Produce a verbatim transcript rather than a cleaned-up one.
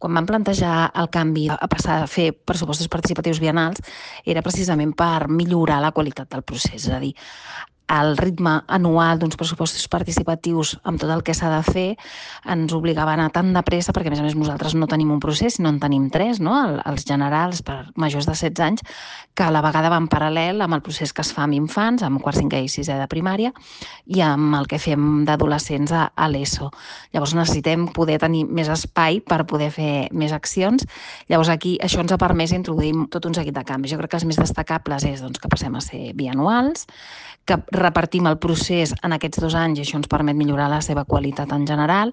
quan vam plantejar el canvi a passar a fer pressupostos participatius biennals era precisament per millorar la qualitat del procés, és a dir, el ritme anual d'uns pressupostos participatius amb tot el que s'ha de fer ens obligava a anar tan de pressa, perquè a més a més nosaltres no tenim un procés, sinó en tenim tres, no? Els generals per majors de setze anys, que a la vegada va en paral·lel amb el procés que es fa amb infants, amb quart, cinquè i sisè de primària, i amb el que fem d'adolescents a, a l'ESO. Llavors necessitem poder tenir més espai per poder fer més accions. Llavors aquí això ens ha permès introduir tot un seguit de canvis. Jo crec que els més destacables és doncs, que passem a ser bianuals, que repartim el procés en aquests dos anys i això ens permet millorar la seva qualitat en general,